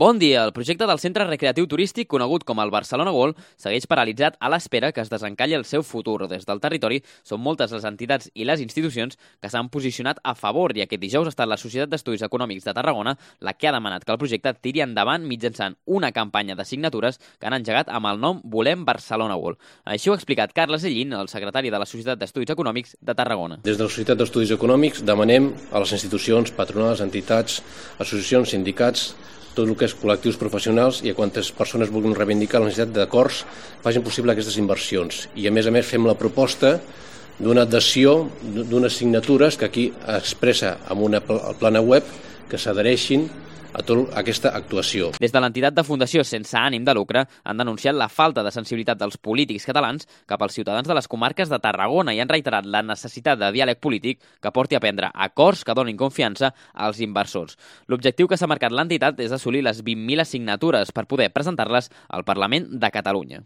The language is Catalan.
Bon dia! El projecte del centre recreatiu turístic conegut com el Barcelona World segueix paralitzat a l'espera que es desencalli el seu futur. Des del territori són moltes les entitats i les institucions que s'han posicionat a favor i aquest dijous ha estat la Societat d'Estudis Econòmics de Tarragona la que ha demanat que el projecte tiri endavant mitjançant una campanya de signatures que han engegat amb el nom Volem Barcelona World. Així ho ha explicat Carles Ellín, el secretari de la Societat d'Estudis Econòmics de Tarragona. Des de la Societat d'Estudis Econòmics demanem a les institucions, patronals, entitats, associacions, sindicats, tot el que és col·lectius professionals i a quantes persones vulguin reivindicar la necessitat d'acords facin possible aquestes inversions. I a més fem la proposta d'una adhesió d'unes signatures que aquí expressa amb una plana web que s'adhereixin a tota aquesta actuació. Des de l'entitat de fundació sense ànim de lucre han denunciat la falta de sensibilitat dels polítics catalans cap als ciutadans de les comarques de Tarragona i han reiterat la necessitat de diàleg polític que porti a prendre acords que donin confiança als inversors. L'objectiu que s'ha marcat l'entitat és assolir les 20.000 signatures per poder presentar-les al Parlament de Catalunya.